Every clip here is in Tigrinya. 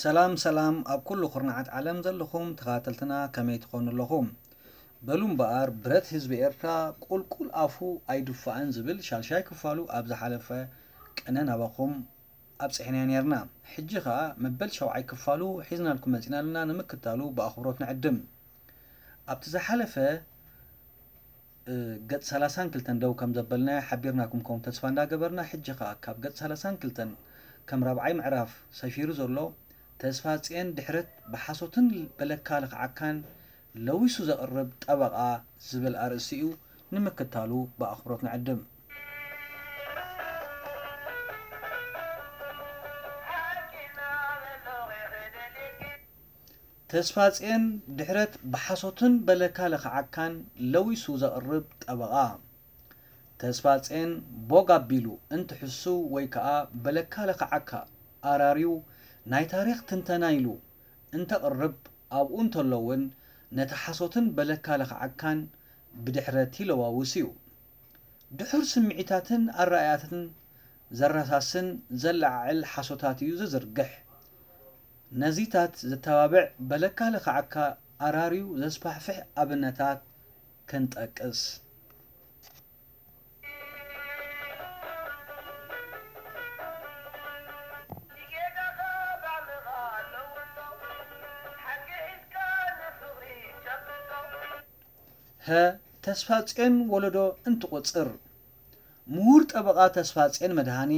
ሰላም ሰላም ኣብ ኩሉ ኩርናዓት ዓለም ዘለኹም ተኸታተልትና ከመይ ትኾኑ ኣለኹም? በሉ እምበኣር ብረት ህዝቢ ኤርትራ ቁልቁል ኣፉ ኣይድፋእን ዝብል ሻልሻይ ክፋሉ ኣብ ዝሓለፈ ቅነ ናባኹም ኣብጺሕናዮ ኔርና። ሕጂ ኸኣ መበል ሻውዓይ ክፋሉ ሒዝናልኩም መጺእና ኣለና፣ ንምክታሉ ብኣኽብሮት ንዕድም። ኣብቲ ዝሓለፈ ገጽ ሰላሳን ክልተን ደው ከም ዘበልናዮ ሓቢርናኩም ከም ተስፋ እንዳገበርና፣ ሕጂ ኸኣ ካብ ገጽ ሰላሳን ክልተን ከም ራብዓይ ምዕራፍ ሰፊሩ ዘሎ ተስፋጽዮን ድሕረት ብሓሶትን በለካ ለኽዓካን ለዊሱ ዘቕርብ ጠበቓ ዝብል ኣርእስቲ እዩ። ንምክታሉ ብኣኽብሮት ንዕድም። ተስፋጽዮን ድሕረት ብሓሶትን በለካ ለኽዓካን ለዊሱ ዘቕርብ ጠበቓ። ተስፋጽዮን ቦግ ኣቢሉ እንትሕሱ ወይ ከኣ በለካ ለኽዓካ ኣራርዩ ናይ ታሪኽ ትንተና ኢሉ እንተቕርብ ኣብኡ እንተሎ እውን ነቲ ሓሶትን በለካ ለኽዓካን ብድሕረት ይለዋውስ እዩ። ድሑር ስምዒታትን ኣረኣእያትን ዘረሳስን ዘለዓዕል ሓሶታት እዩ ዝዝርግሕ። ነዚታት ዘተባብዕ በለካ ለኽዓካ ኣራርዩ ዘስፋሕፍሕ ኣብነታት ክንጠቅስ። ሀ ተስፋጽዮን ወለዶ እንትቑጽር፣ ምሁር ጠበቓ ተስፋጽዮን መድሃኔ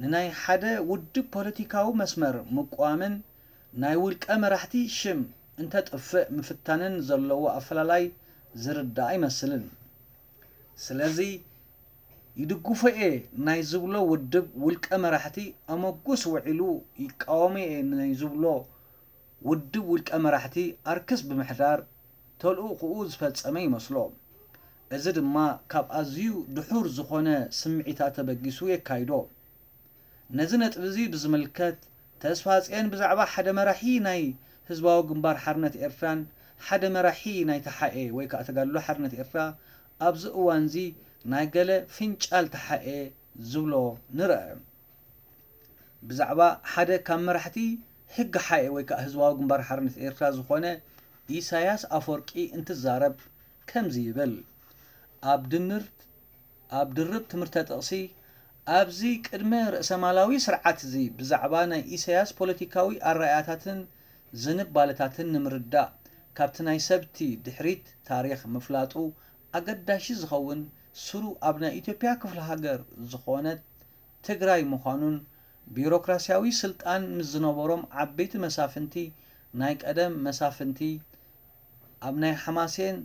ንናይ ሓደ ውድብ ፖለቲካዊ መስመር ምቅዋምን ናይ ውልቀ መራሕቲ ሽም እንተጥፍእ ምፍታንን ዘለዎ ኣፈላላይ ዝርዳእ ኣይመስልን። ስለዚ ይድግፎ እየ ናይ ዝብሎ ውድብ ውልቀ መራሕቲ ኣመጉስ ውዒሉ፣ ይቃወሞ እየ ናይ ዝብሎ ውድብ ውልቀ መራሕቲ ኣርክስ ብምሕዳር ተልእኾኡ ዝፈጸመ ይመስሎ። እዚ ድማ ካብ ኣዝዩ ድሑር ዝኾነ ስምዒታት ተበጊሱ የካይዶ። ነዚ ነጥቢ እዚ ብዝምልከት ተስፋጽዮን ብዛዕባ ሓደ መራሒ ናይ ህዝባዊ ግንባር ሓርነት ኤርትራን ሓደ መራሒ ናይ ተሓኤ ወይ ከኣ ተጋድሎ ሓርነት ኤርትራ ኣብዚ እዋንዚ ናይ ገለ ፍንጫል ተሓኤ ዝብሎ ንርአ። ብዛዕባ ሓደ ካብ መራሕቲ ህግሓኤ ወይ ከኣ ህዝባዊ ግንባር ሓርነት ኤርትራ ዝኾነ ኢሳያስ ኣፈወርቂ እንትዛረብ ከምዚ ይብል። ኣብ ድንር ኣብ ድርብ ትምህርተ ጥቕሲ፣ ኣብዚ ቅድመ ርእሰማላዊ ስርዓት እዚ ብዛዕባ ናይ ኢሳያስ ፖለቲካዊ ኣረኣእያታትን ዝንባለታትን ንምርዳእ፣ ካብቲ ናይ ሰብቲ ድሕሪት ታሪኽ ምፍላጡ ኣገዳሺ ዝኸውን፣ ስሩ ኣብ ናይ ኢትዮጵያ ክፍለ ሃገር ዝኾነት ትግራይ ምዃኑን፣ ቢሮክራስያዊ ስልጣን ምስ ዝነበሮም ዓበይቲ መሳፍንቲ፣ ናይ ቀደም መሳፍንቲ ኣብ ናይ ሓማሴን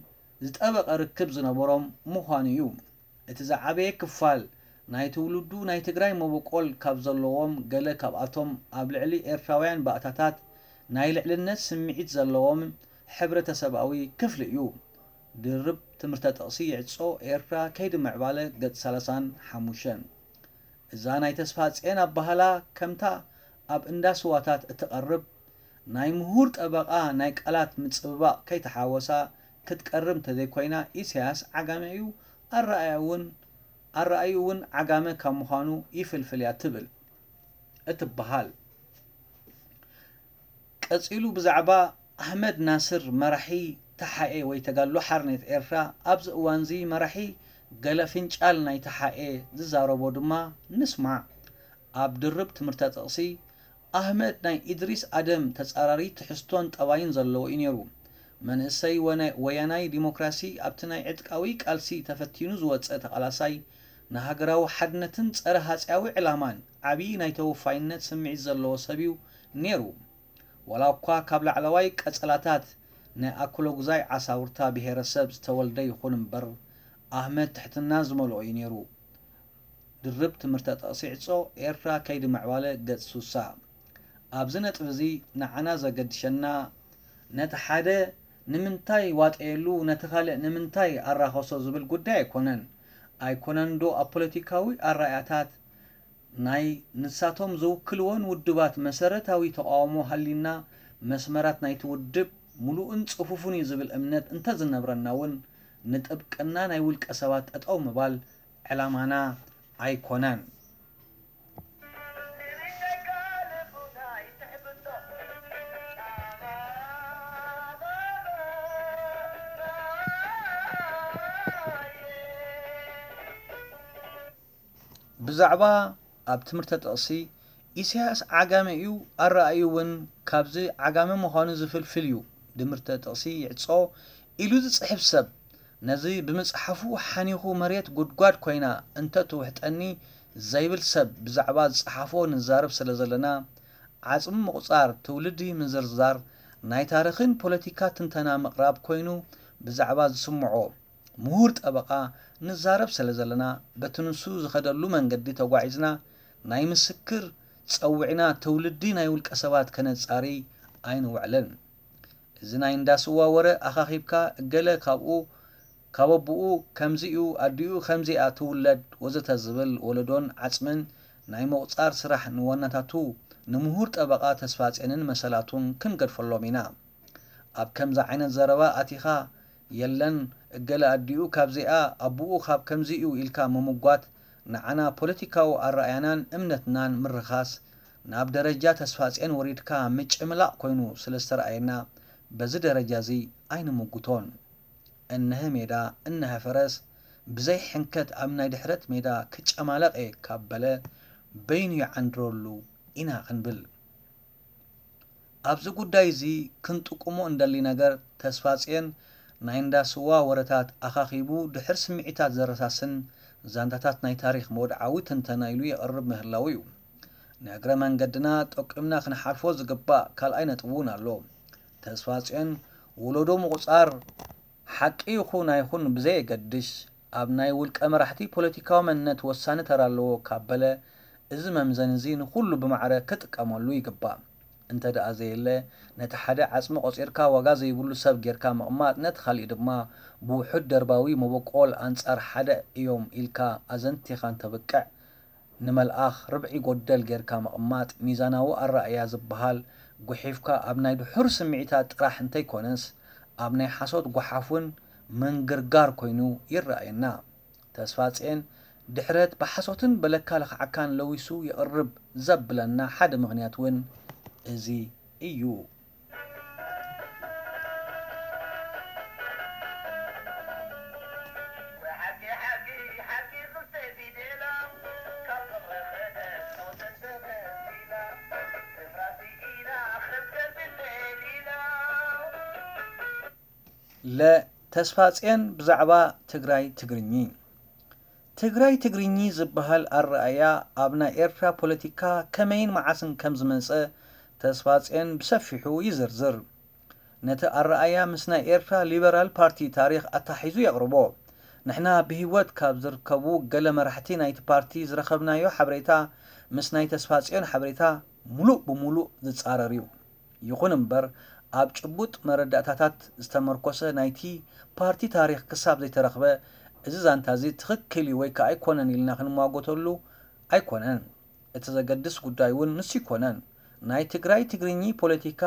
ዝጠበቐ ርክብ ዝነበሮም ምዃኑ እዩ። እቲ ዝዓበየ ክፋል ናይ ትውልዱ ናይ ትግራይ መበቆል ካብ ዘለዎም፣ ገለ ካብኣቶም ኣብ ልዕሊ ኤርትራውያን ባእታታት ናይ ልዕልነት ስምዒት ዘለዎም ሕብረተሰባዊ ክፍሊ እዩ። ድርብ ትምህርተ ጥቕሲ ይዕጾ፣ ኤርትራ ከይዲ ምዕባለ፣ ገጽ ሰላሳን ሓሙሽተን። እዛ ናይ ተስፋጽዮን ኣበሃህላ ከምታ ኣብ እንዳ ስዋታት እትቐርብ ናይ ምሁር ጠበቓ ናይ ቃላት ምጽብባቕ ከይተሓወሳ ክትቀርብ እንተዘይኮይና፣ ኢሳያስ ዓጋመ እዩ፣ ኣረኣእያ እውን ኣረኣእዩ እውን ዓጋመ ካብ ምዃኑ ይፍልፍል እያ ትብል እትበሃል። ቀጺሉ ብዛዕባ ኣሕመድ ናስር መራሒ ተሓኤ ወይ ተጋድሎ ሓርነት ኤርትራ ኣብዚ እዋንዚ መራሒ ገለ ፍንጫል ናይ ተሓኤ ዝዛረቦ ድማ ንስማዕ። ኣብ ድርብ ትምህርተ ጥቕሲ ኣህመድ ናይ ኢድሪስ ኣደም ተጻራሪ ትሕዝቶን ጠባይን ዘለዎ እዩ ነይሩ። መንእሰይ ወነ-፣ ወያናይ ዲሞክራሲ ኣብቲ ናይ ዕጥቃዊ ቃልሲ ተፈቲኑ ዝወጸ ተቓላሳይ ንሃገራዊ ሓድነትን ጸረ ሃጺያዊ ዕላማን ዓብዪ ናይ ተወፋይነት ስምዒት ዘለዎ ሰብ እዩ ነይሩ። ዋላ እኳ ካብ ላዕለዋይ ቀጸላታት ናይ ኣኮሎጉዛይ ዓሳውርታ ብሄረሰብ ዝተወልደ ይኹን እምበር፣ ኣህመድ ትሕትና ዝመልኦ እዩ ነይሩ። ድርብ ትምህርተ ጥቕሲ ዕጾ ኤርትራ ከይዲ ምዕባለ ገጽ ሱሳ። ኣብዚ ነጥቢ እዚ ንዓና ዘገድሸና ነቲ ሓደ ንምንታይ ዋጠየሉ ነቲ ካልእ ንምንታይ ኣራኸሶ ዝብል ጉዳይ ኣይኮነን። ኣይኮነን ዶ ኣብ ፖለቲካዊ ኣረኣእያታት ናይ ንሳቶም ዝውክልወን ውድባት መሰረታዊ ተቓውሞ ሃልዩና፣ መስመራት ናይቲ ውድብ ምሉእን ጽፉፍን እዩ ዝብል እምነት እንተዝነብረና እውን፣ ንጥብቅና ናይ ውልቀ ሰባት ጠጠው ምባል ዕላማና ኣይኮነን። ብዛዕባ ኣብ ትምህርተ ጥቕሲ፣ ኢሳያስ ዓጋመ እዩ፣ ኣረኣእዩ እውን ካብዚ ዓጋመ ምዃኑ ዝፍልፍል እዩ። ድምርተ ጥቕሲ ይዕጾ ኢሉ ዝጽሕፍ ሰብ፣ ነዚ ብምጽሓፉ ሓኒኹ መሬት ጉድጓድ ኮይና እንተ ትውሕጠኒ ዘይብል ሰብ ብዛዕባ ዝጸሓፎ ንዛረብ ስለ ዘለና፣ ዓጽሚ ምቑጻር ትውልዲ ምዝርዛር ናይ ታሪኽን ፖለቲካ ትንተና ምቕራብ ኮይኑ ብዛዕባ ዝስምዖ ምሁር ጠበቓ ንዛረብ ስለ ዘለና፣ በቲ ንሱ ዝኸደሉ መንገዲ ተጓዒዝና ናይ ምስክር ጸዊዕና ትውልዲ ናይ ውልቀ ሰባት ከነጻሪ ኣይንውዕልን። እዚ ናይ እንዳ ስዋ ወረ ኣኻኺብካ እገለ ካብኡ ካብ ኣቦኡ ከምዚ'ዩ ኣዲኡ ከምዚኣ ትውለድ ወዘተ ዝብል ወለዶን ዓጽምን ናይ ምቑጻር ስራሕ ንዋናታቱ ንምሁር ጠበቓ ተስፋጼንን መሰላቱን ክንገድፈሎም ኢና። ኣብ ከምዚ ዓይነት ዘረባ ኣቲኻ የለን እገለ ኣዲኡ ካብዚኣ ኣቦኡ ካብ ከምዚ'ዩ ኢልካ ምምጓት ንዓና ፖለቲካዊ ኣረኣእያናን እምነትናን ምርኻስ ናብ ደረጃ ተስፋጼን ወሪድካ ምጭምላቕ ኮይኑ ስለ ዝተረኣየና በዚ ደረጃ እዚ ኣይንምጉቶን። እነሀ ሜዳ እነሀ ፈረስ ብዘይ ሕንከት ኣብ ናይ ድሕረት ሜዳ ክጨማለቕ እየ ካብ በለ በይኑ ይዓንድረሉ ኢና ክንብል። ኣብዚ ጉዳይ እዚ ክንጥቁሞ እንደሊ ነገር ተስፋጽዮን ናይ እንዳ ስዋ ወረታት ኣኻኺቡ ድሕር ስምዒታት ዘረሳስን ዛንታታት ናይ ታሪኽ መወድዓዊ ትንተና ኢሉ የቕርብ ምህላዉ እዩ። ንእግረ መንገድና ጠቂምና ክንሓልፎ ዝግባእ ካልኣይ ነጥቢ እውን ኣሎ። ተስፋጽዮን ወለዶ ምቑጻር ሓቂ ይኹን ኣይኹን ብዘየገድሽ፣ ኣብ ናይ ውልቀ መራሕቲ ፖለቲካዊ መንነት ወሳኒ ተራ ኣለዎ ካብ በለ፣ እዚ መምዘኒ እዚ ንኹሉ ብማዕረ ክጥቀመሉ ይግባእ። እንተ ደኣ ዘየለ፣ ነቲ ሓደ ዓጽሚ ቆጺርካ ዋጋ ዘይብሉ ሰብ ጌርካ ምቕማጥ፣ ነቲ ካሊእ ድማ ብውሑድ ደርባዊ መበቆል ኣንጻር ሓደ እዮም ኢልካ ኣዘንቲኻ እንተብቅዕ፣ ንመልኣኽ ርብዒ ጎደል ጌርካ ምቕማጥ ሚዛናዊ ኣረኣእያ ዝበሃል፣ ጉሒፍካ ኣብ ናይ ድሑር ስምዒታት ጥራሕ እንተይኮነስ፣ ኣብ ናይ ሓሶት ጓሓፍ እውን ምንግርጋር ኮይኑ ይረኣየና። ተስፋጼን ድሕረት ብሓሶትን በለካ ለኽዓካን ለዊሱ የቕርብ ዘብለና ሓደ ምኽንያት እውን እዚ እዩ። ለ ተስፋጼን ብዛዕባ ትግራይ ትግርኚ። ትግራይ ትግርኚ ዝበሃል ኣረኣእያ ኣብ ናይ ኤርትራ ፖለቲካ ከመይን መዓስን ከም ዝመጸ ተስፋጼን ብሰፊሑ ይዝርዝር። ነቲ ኣረኣእያ ምስ ናይ ኤርትራ ሊበራል ፓርቲ ታሪኽ ኣተሓሒዙ የቕርቦ። ንሕና ብህይወት ካብ ዝርከቡ ገለ መራሕቲ ናይቲ ፓርቲ ዝረኸብናዮ ሓበሬታ ምስ ናይ ተስፋጽዮን ሓበሬታ ምሉእ ብምሉእ ዝጻረር እዩ። ይኹን እምበር፣ ኣብ ጭቡጥ መረዳእታታት ዝተመርኮሰ ናይቲ ፓርቲ ታሪኽ ክሳብ ዘይተረኽበ፣ እዚ ዛንታ እዚ ትኽክል እዩ ወይ ከኣ ኣይኮነን ኢልና ክንሟገተሉ ኣይኮነን። እቲ ዘገድስ ጉዳይ እውን ንሱ ኣይኮነን። ናይ ትግራይ ትግርኚ ፖለቲካ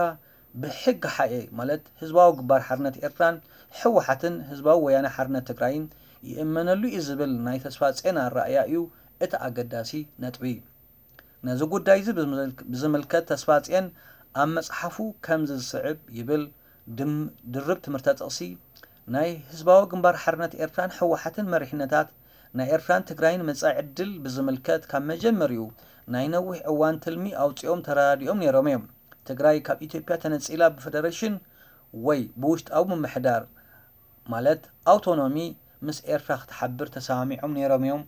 ብሕግሓኤ ማለት ህዝባዊ ግንባር ሓርነት ኤርትራን ህወሓትን ህዝባዊ ወያነ ሓርነት ትግራይን ይእመነሉ እዩ ዝብል ናይ ተስፋጽዮን ኣረኣእያ እዩ እቲ ኣገዳሲ ነጥቢ። ነዚ ጉዳይ እዚ ብዝምልክ-፣ ብዝምልከት ተስፋጽዮን ኣብ መጽሓፉ ከምዚ ዝስዕብ ይብል፣ ድም-፣ ድርብ ትምህርተ ጥቕሲ፣ ናይ ህዝባዊ ግንባር ሓርነት ኤርትራን ህወሓትን መሪሕነታት ናይ ኤርትራን ትግራይን መጻኢ ዕድል ብዝምልከት ካብ መጀመሪኡ ናይ ነዊሕ እዋን ትልሚ ኣውጺኦም ተረዳዲኦም ነይሮም እዮም። ትግራይ ካብ ኢትዮጵያ ተነጺላ ብፈደረሽን ወይ ብውሽጣዊ ምምሕዳር ማለት ኣውቶኖሚ ምስ ኤርትራ ክትሓብር ተሰማሚዖም ነይሮም እዮም።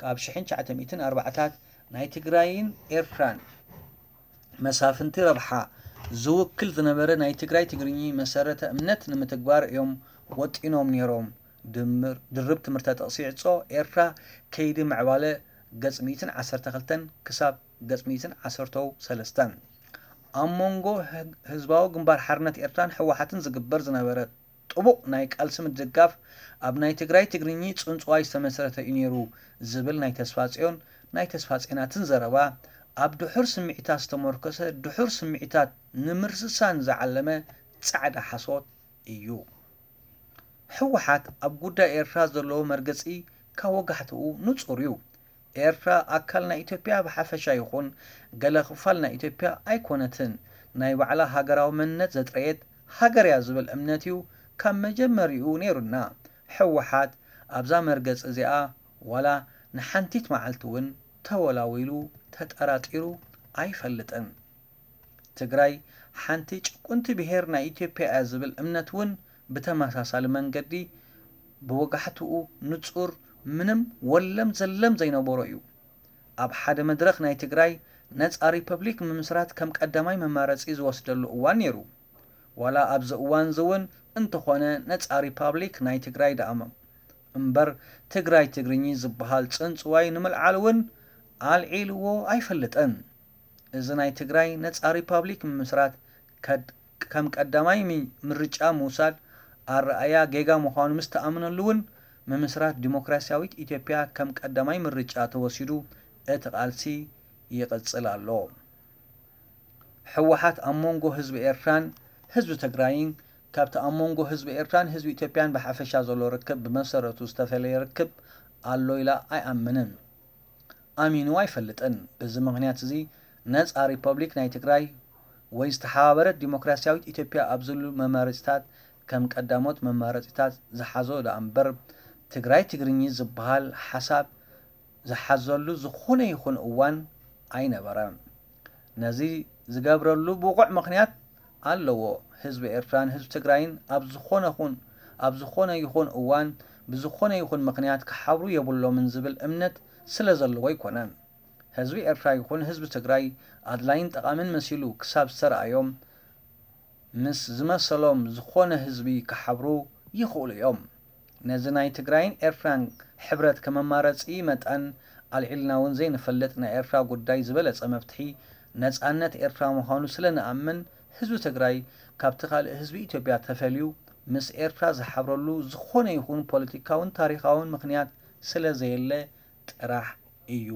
ካብ ሽሕን ትሽዓተ ሚእትን ኣርባዓታት ናይ ትግራይን ኤርትራን መሳፍንቲ ረብሓ ዝውክል ዝነበረ ናይ ትግራይ ትግርኚ መሰረተ እምነት ንምትግባር እዮም ወጢኖም ነይሮም። ድምር፣ ድርብ ትምህርተ ጥቕሲ ይዕጾ፣ ኤርትራ ከይዲ ምዕባለ ገጽ ሚእትን ዓሰርተ ክልተን ክሳብ ገጽ ሚእትን ዓሰርተው ሰለስተን። ኣብ መንጎ ህግ-፣ ህዝባዊ ግንባር ሓርነት ኤርትራን ህወሓትን ዝግበር ዝነበረ ጥቡቕ ናይ ቃልሲ ምድጋፍ ኣብ ናይ ትግራይ ትግርኚ ጽንጽዋይ ዝተመስረተ እዩ ነይሩ ዝብል ናይ ተስፋጽዮን ናይ ተስፋጽዮናትን ዘረባ ኣብ ድሑር ስምዒታት ዝተመርኮሰ ድሑር ስምዒታት ንምርስሳን ዝዓለመ ጻዕዳ ሓሶት እዩ። ህወሓት ኣብ ጉዳይ ኤርትራ ዘለዎ መርገጺ ካብ ወጋሕትኡ ንጹር እዩ። ኤርትራ ኣካል ናይ ኢትዮጵያ ብሓፈሻ ይኹን ገለ ክፋል ናይ ኢትዮጵያ ኣይኮነትን። ናይ ባዕላ ሃገራዊ መንነት ዘጥረየት ሃገር እያ ዝብል እምነት እዩ ካብ መጀመሪኡ ነይሩና። ህወሓት ኣብዛ መርገጺ እዚኣ ዋላ ንሓንቲት መዓልቲ እውን ተወላዊሉ፣ ተጠራጢሩ ኣይፈልጥን። ትግራይ ሓንቲ ጭቁንቲ ብሄር ናይ ኢትዮጵያ እያ ዝብል እምነት እውን ብተመሳሳሊ መንገዲ ብወጋሕትኡ ንጹር፣ ምንም ወለም ዘለም ዘይነበሮ እዩ። ኣብ ሓደ መድረኽ ናይ ትግራይ ነጻ ሪፐብሊክ ምምስራት ከም ቀዳማይ መማረጺ ዝወስደሉ እዋን ነይሩ። ዋላ ኣብዚ እዋን እዚ እውን እንተኾነ ነጻ ሪፓብሊክ ናይ ትግራይ ደኣ እምበር ትግራይ ትግርኚ ዝበሃል ጽንጽዋይ ንምልዓል እውን ኣልዒልዎ ኣይፈልጥን። እዚ ናይ ትግራይ ነጻ ሪፓብሊክ ምምስራት ከድ-፣ ከም ቀዳማይ ሚ-፣ ምርጫ ምውሳድ ኣረኣያ ጌጋ ምዃኑ ምስ ተኣመነሉ እውን ምምስራት ዲሞክራሲያዊት ኢትዮጵያ ከም ቀዳማይ ምርጫ ተወሲዱ እቲ ቃልሲ ይቕጽል ኣሎ። ህወሓት ኣብ መንጎ ህዝቢ ኤርትራን ህዝቢ ትግራይን ካብቲ ኣብ መንጎ ህዝቢ ኤርትራን ህዝቢ ኢትዮጵያን ብሓፈሻ ዘሎ ርክብ ብመሰረቱ ዝተፈለየ ርክብ ኣሎ ኢላ ኣይኣምንን። ኣሚኑ ኣይፈልጥን። በዚ ምኽንያት እዚ ነጻ ሪፐብሊክ ናይ ትግራይ ወይ ዝተሓባበረት ዲሞክራሲያዊት ኢትዮጵያ ኣብ ዝብሉ መማረጺታት ከም ቀዳሞት መማረጺታት ዝሓዞ ደኣ እምበር ትግራይ ትግርኚ ዝበሃል ሓሳብ ዝሓዘሉ ዝኾነ ይኹን እዋን ኣይነበረን። ነዚ ዝገብረሉ ብቑዕ ምኽንያት ኣለዎ። ህዝቢ ኤርትራን ህዝቢ ትግራይን ኣብ ዝኾነ ኹን-፣ ኣብ ዝኾነ ይኹን እዋን ብዝኾነ ይኹን ምኽንያት ክሓብሩ የብሎምን ዝብል እምነት ስለ ዘለዎ ኣይኮነን። ህዝቢ ኤርትራ ይኹን ህዝቢ ትግራይ ኣድላይን ጠቓምን መሲሉ ክሳብ ዝተረኣዮም፣ ምስ ዝመሰሎም ዝኾነ ህዝቢ ክሓብሩ ይኽእሉ እዮም። ነዚ ናይ ትግራይን ኤርትራን ሕብረት ከም ኣማራጺ መጠን ኣልዒልና እውን ዘይንፈልጥ፣ ናይ ኤርትራ ጉዳይ ዝበለጸ መፍትሒ ነጻነት ኤርትራ ምዃኑ ስለ ንኣምን፣ ህዝቢ ትግራይ ካብቲ ካልእ ህዝቢ ኢትዮጵያ ተፈልዩ ምስ ኤርትራ ዝሓብረሉ ዝኾነ ይኹን ፖለቲካውን ታሪኻውን ምኽንያት ስለ ዘየለ ጥራሕ እዩ።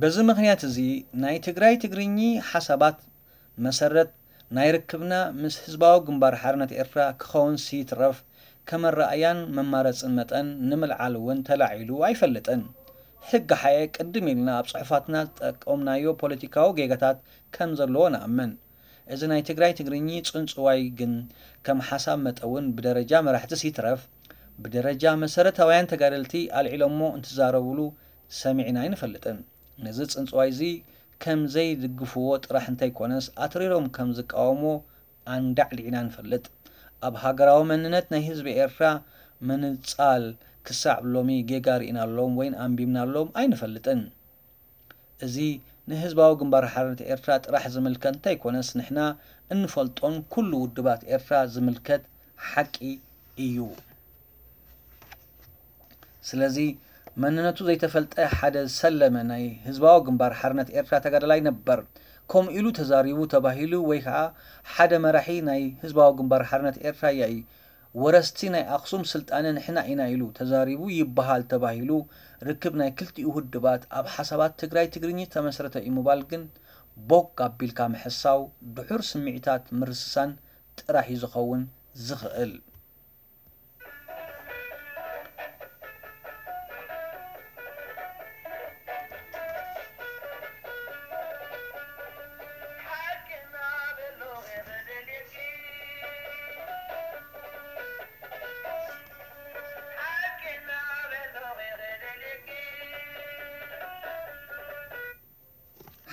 በዚ ምኽንያት እዚ ናይ ትግራይ ትግርኚ ሓሳባት መሰረት ናይ ርክብና ምስ ህዝባዊ ግንባር ሓርነት ኤርትራ ክኸውንሲ ይትረፍ ከም ኣረኣያን መማረጽን መጠን ንምልዓል እውን ተላዒሉ ኣይፈልጥን። ህግሓኤ ቅድም ኢልና ኣብ ጽሑፋትና ዝጠቀምናዮ ፖለቲካዊ ጌጋታት ከም ዘለዎ ንኣምን። እዚ ናይ ትግራይ ትግርኚ ጽንጽዋይ ግን ከም ሓሳብ መጠውን ብደረጃ መራሕትስ ይትረፍ ብደረጃ መሰረታውያን ተጋደልቲ ኣልዒሎሞ እንትዛረብሉ ሰሚዕና ኣይንፈልጥን። ነዚ ጽንጽዋይ እዚ ከም ዘይድግፍዎ ጥራሕ እንተይኮነስ ኣትሪሮም ከም ዝቃወምዎ ኣንዳዕዲዕና ንፈልጥ። ኣብ ሃገራዊ መንነት ናይ ህዝቢ ኤርትራ ምንጻል ክሳዕ ሎሚ ጌጋ ርኢናሎም ወይን ኣንቢብናሎም ኣይንፈልጥን። እዚ ንህዝባዊ ግንባር ሓርነት ኤርትራ ጥራሕ ዝምልከት እንተይኮነስ ንሕና እንፈልጦን ኩሉ ውድባት ኤርትራ ዝምልከት ሓቂ እዩ። ስለዚ መንነቱ ዘይተፈልጠ ሓደ ዝሰለመ ናይ ህዝባዊ ግንባር ሓርነት ኤርትራ ተጋዳላይ ነበር ከምኡ ኢሉ ተዛሪቡ ተባሂሉ ወይ ከዓ ሓደ መራሒ ናይ ህዝባዊ ግንባር ሓርነት ኤርትራ ያኢ ወረስቲ ናይ ኣኽሱም ስልጣነ ንሕና ኢና ኢሉ ተዛሪቡ ይበሃል ተባሂሉ ርክብ ናይ ክልቲኡ ውድባት ኣብ ሓሳባት ትግራይ ትግርኚ ዝተመስረተ እዩ ምባል ግን ቦግ ኣቢልካ ምሕሳው ድሑር ስምዒታት ምርስሳን ጥራሕ እዩ ዝኸውን ዝኽእል።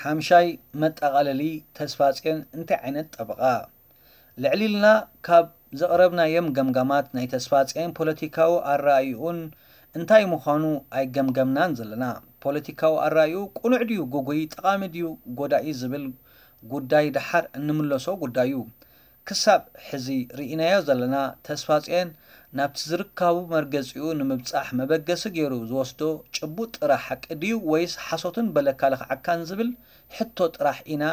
ሓምሻይ መጠቓለሊ፣ ተስፋጽዮን እንታይ ዓይነት ጠበቓ? ልዕል ኢልና ካብ ዘቕረብናዮም ገምጋማት ናይ ተስፋጽዮን ፖለቲካዊ ኣረኣይኡን እንታይ ምዃኑ ኣይገምገምናን ዘለና። ፖለቲካዊ ኣረኣይኡ ቅኑዕ ድዩ ግጉይ፣ ጠቓሚ ድዩ ጎዳኢ ዝብል ጉዳይ ደሓር እንምለሶ ጉዳይ እዩ። ክሳብ ሕዚ ርኢናዮ ዘለና ተስፋጽዮን ናብቲ ዝርካቡ መርገጺኡ ንምብጻሕ መበገሲ ገይሩ ዝወስዶ ጭቡጥ ጥራሕ ሓቂ ድዩ ወይስ ሓሶትን በለካ ልኽዓካን ዝብል ሕቶ ጥራሕ ኢና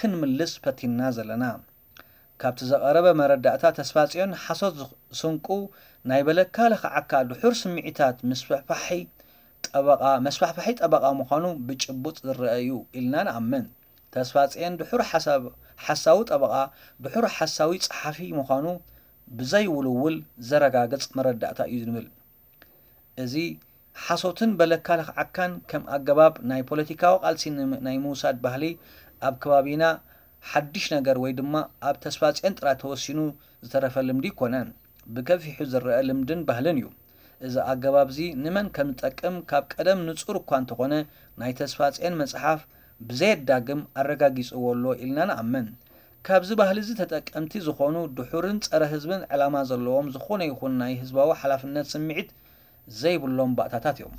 ክንምልስ ፈቲንና ዘለና። ካብቲ ዘቐረበ መረዳእታ ተስፋጽዮን ሓሶት ዝኽ-፣ ስንቁ ናይ በለካ ልኽዓካ ድሑር ስምዒታት ምስፍሕፋሒ ጠበቓ፣ መስፋሕፋሒ ጠበቓ ምዃኑ ብጭቡጥ ዝረአ እዩ ኢልና ንኣምን። ተስፋጽዮን ድሑር ሓሳብ-፣ ሓሳዊ ጠበቓ፣ ድሑር ሓሳዊ ጸሓፊ ምዃኑ ብዘይውልውል ዘረጋግጽ መረዳእታ እዩ ንብል። እዚ ሓሶትን በለካ ለኽዓካን ከም ኣገባብ ናይ ፖለቲካዊ ቃልሲ ን-፣ ናይ ምውሳድ ባህሊ ኣብ ከባቢና ሓድሽ ነገር ወይ ድማ ኣብ ተስፋጽዮን ጥራይ ተወሲኑ ዝተረፈ ልምዲ ኣይኮነን። ብገፊሑ ዝረአ ልምድን ባህልን እዩ። እዚ ኣገባብ እዚ ንመን ከም ዝጠቅም ካብ ቀደም ንጹር እኳ እንተኾነ፣ ናይ ተስፋጽዮን መጽሓፍ ብዘየዳግም ኣረጋጊጽዎ ኣሎ ኢልና ንኣምን። ካብዚ ባህሊ እዚ ተጠቀምቲ ዝኾኑ ድሑርን ጸረ ህዝብን ዕላማ ዘለዎም ዝኾነ ይኹን ናይ ህዝባዊ ሓላፍነት ስምዒት ዘይብሎም ባእታታት እዮም።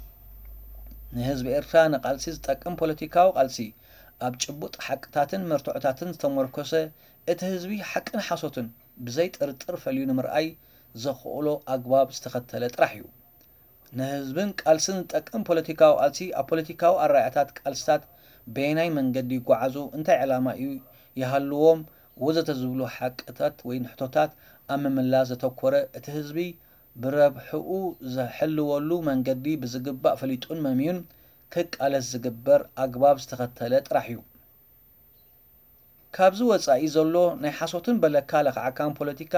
ንህዝቢ ኤርትራ ንቃልሲ ዝጠቅም ፖለቲካዊ ቃልሲ ኣብ ጭቡጥ ሓቅታትን መርትዖታትን ዝተመርኮሰ፣ እቲ ህዝቢ ሓቅን ሓሶትን ብዘይ ጥርጥር ፈልዩ ንምርኣይ ዘኽእሎ ኣግባብ ዝተኸተለ ጥራሕ እዩ። ንህዝብን ቃልስን ዝጠቅም ፖለቲካዊ ቃልሲ ኣብ ፖለቲካዊ ኣረኣእያታት ቃልስታት በየናይ መንገዲ ይጓዓዙ፣ እንታይ ዕላማ እዩ ይሃልዎም፣ ወዘተ ዝብሉ ሓቅታት ወይ ሕቶታት ኣብ ምምላስ ዘተኮረ፣ እቲ ህዝቢ ብረብሕኡ ዘሕልወሉ መንገዲ ብዝግባእ ፈሊጡን መምዩን ክቃለስ ዝግበር ኣግባብ ዝተኸተለ ጥራሕ እዩ። ካብዚ ወጻኢ ዘሎ ናይ ሓሶትን በለካ ለኽዓካን ፖለቲካ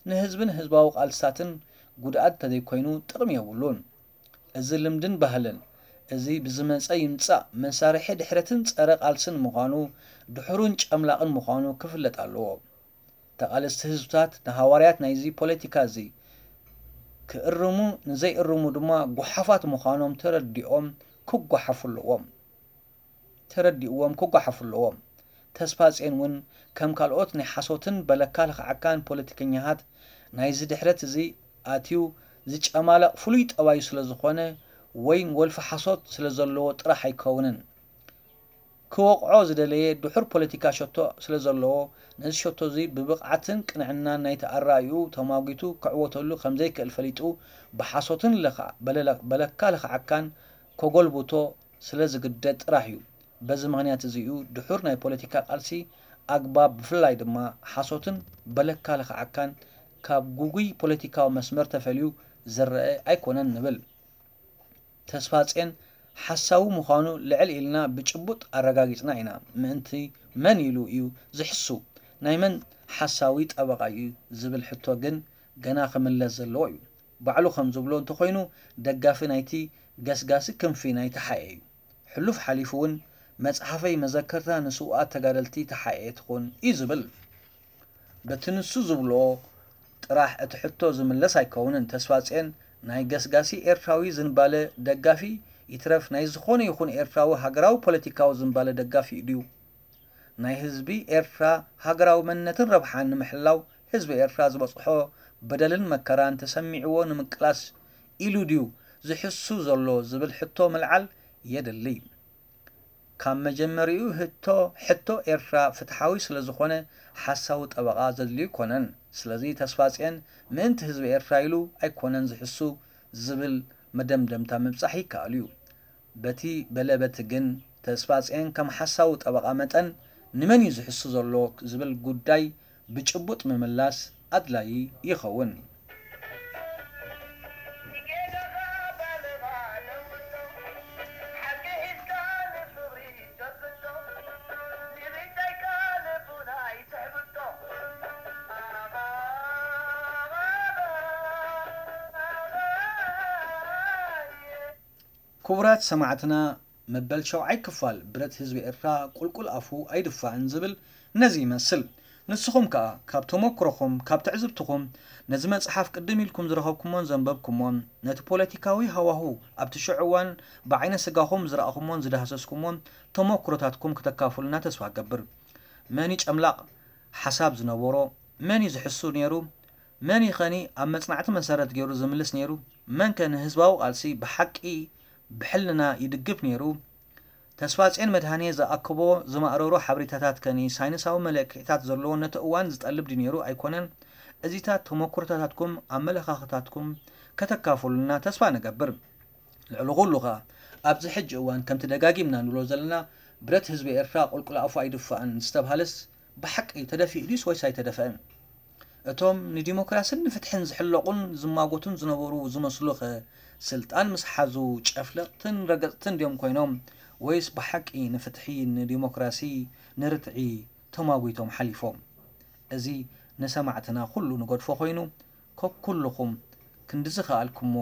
ንህዝብን ህዝባዊ ቃልስታትን ጉድኣት እንተዘይኮይኑ ጥቕሚ የብሉን። እዚ ልምድን ባህልን እዚ ብዝመጸ ይምጻእ መሳርሒ ድሕረትን ጸረ ቃልስን ምዃኑ ድሑርን ጨምላቕን ምዃኑ ክፍለጥ ኣለዎ። ተቓለስቲ ህዝብታት ንሃዋርያት ናይዚ ፖለቲካ እዚ ክእርሙ ንዘይእርሙ ድማ ጓሓፋት ምዃኖም ተረዲኦም ክጓሓፉ ኣለዎም። ተረዲእዎም ክጓሓፉ ኣለዎም። ተስፋጽዮን እውን ከም ካልኦት ናይ ሓሶትን በለካ ለኽዓካን ፖለቲከኛታት ናይዚ ድሕረት እዚ ኣትዩ ዝጨማለቕ ፍሉይ ጠባዩ ስለ ዝኾነ ወይ ወልፊ ሓሶት ስለ ዘለዎ ጥራሕ ኣይከውንን። ክወቕዖ ዝደለየ ድሑር ፖለቲካ ሸቶ ስለ ዘለዎ ነዚ ሸቶ እዚ ብብቕዓትን ቅንዕናን ናይቲ ኣረኣእይኡ ተማጒቱ ክዕወተሉ ከም ዘይክእል ፈሊጡ ብሓሶትን ለኻ-፣ በለለ-፣ በለካ ለኽዓካን ከጎልብቶ ስለ ዝግደድ ጥራሕ እዩ። በዚ ምኽንያት እዚ እዩ ድሑር ናይ ፖለቲካ ቃልሲ ኣግባብ ብፍላይ ድማ ሓሶትን በለካ ለኽዓካን ካብ ጉጉይ ፖለቲካዊ መስመር ተፈልዩ ዝረአ ኣይኮነን ንብል። ተስፋጽዮን ሓሳዊ ምዃኑ ልዕል ኢልና ብጭቡጥ ኣረጋጊጽና ኢና። ምእንቲ መን ኢሉ እዩ ዝሕሱ? ናይ መን ሓሳዊ ጠበቓ እዩ ዝብል ሕቶ ግን ገና ክምለስ ዘለዎ እዩ። ባዕሉ ከም ዝብሎ እንተኾይኑ ደጋፊ ናይቲ ገስጋሲ ክንፊ ናይ ተሓኤ እዩ። ሕሉፍ ሓሊፉ እውን መጽሓፈይ መዘከርታ ንስውኣት ተጋደልቲ ተሓኤ ትኹን እዩ ዝብል። በቲ ንሱ ዝብሎ ጥራሕ እቲ ሕቶ ዝምለስ ኣይከውንን። ተስፋጽዮን ናይ ገስጋሲ ኤርትራዊ ዝንባለ ደጋፊ ይትረፍ ናይ ዝኾነ ይኹን ኤርትራዊ ሃገራዊ ፖለቲካዊ ዝንባለ ደጋፊ ድዩ? ናይ ህዝቢ ኤርትራ ሃገራዊ መንነትን ረብሓን ንምሕላው ህዝቢ ኤርትራ ዝበጽሖ በደልን መከራን ተሰሚዕዎ ንምቅላስ ኢሉ ድዩ ዝሕሱ ዘሎ ዝብል ሕቶ ምልዓል የድሊ። ካብ መጀመሪኡ ህቶ-፣ ሕቶ ኤርትራ ፍትሓዊ ስለ ዝኾነ ሓሳዊ ጠበቓ ዘድልዩ ኣይኮነን። ስለዚ ተስፋጽዮን ምእንቲ ህዝቢ ኤርትራ ኢሉ ኣይኮነን ዝሕሱ ዝብል መደምደምታ ምብጻሕ ይከኣል እዩ። በቲ በለ በቲ ግን ተስፋጽዮን ከም ሓሳዊ ጠበቓ መጠን ንመን እዩ ዝሕሱ ዘሎ ዝብል ጉዳይ ብጭቡጥ ምምላስ ኣድላዪ ይኸውን። ክቡራት ሰማዕትና፣ መበል ሸውዓይ ክፋል ብረት ህዝቢ ኤርትራ ቁልቁል ኣፉ ኣይድፋእን ዝብል ነዚ ይመስል። ንስኹም ከኣ ካብ ተመኩሮኹም፣ ካብ ትዕዝብትኹም፣ ነዚ መጽሓፍ ቅድም ኢልኩም ዝረኸብኩሞን ዘንበብኩሞን፣ ነቲ ፖለቲካዊ ሃዋሁ ኣብቲ ሽዑ እዋን ብዓይነ ስጋኹም ዝረኣኹሞን ዝዳህሰስኩሞን ተመኩሮታትኩም ክተካፍሉና ተስፋ እገብር። መን እዩ ጨምላቕ ሓሳብ ዝነበሮ? መን እዩ ዝሕሱ ነይሩ? መን እዩ ኸኒ ኣብ መጽናዕቲ መሰረት ገይሩ ዝምልስ ነይሩ? መን ከ ንህዝባዊ ቃልሲ ብሓቂ ብሕልና ይድግፍ ነይሩ? ተስፋጽዮን መድሃኔ ዝኣከቦ ዝማእረሮ ሓበሬታታት ከኒ ሳይንሳዊ መለክዒታት ዘለዎ ነቲ እዋን ዝጠልብ ድዩ ነይሩ ኣይኮነን? እዚታት ተመኩሮታታትኩም ኣመለኻኽታትኩም ከተካፍሉና ተስፋ ንገብር። ልዕሊ ኩሉ ኸኣ ኣብዚ ሕጂ እዋን ከምቲ ደጋጊምና ንብሎ ዘለና ብረት ህዝቢ ኤርትራ ቁልቁል ኣፉ ኣይድፋእን ዝተብሃለስ ብሓቂ ተደፊኡ ድዩስ ወይስ ኣይተደፍአን? እቶም ንዲሞክራስን ንፍትሕን ዝሕለቑን ዝማጎቱን ዝነበሩ ዝመስሉኸ ስልጣን ምስ ሓዙ ጨፍለቕትን ረገጽትን ድዮም ኮይኖም ወይስ ብሓቂ ንፍትሒ፣ ንዲሞክራሲ፣ ንርትዒ ተማጒቶም ሓሊፎም? እዚ ንሰማዕትና ኩሉ ንገድፎ ኮይኑ፣ ከኩልኹም ክንዲ ዝኸኣልኩሞ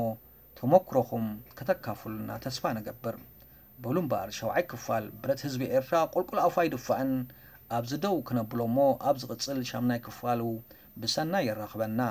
ተመኩሮኹም ከተካፍሉና ተስፋ ንገብር። በሉ እምበኣር ሸውዓይ ክፋል ብረት ህዝቢ ኤርትራ ቁልቁል ኣፉ ኣይድፋእን፣ ኣብዚ ደው ክነብሎ እሞ ኣብ ዝቕጽል ሻምናይ ክፋሉ ብሰናይ የራኽበና።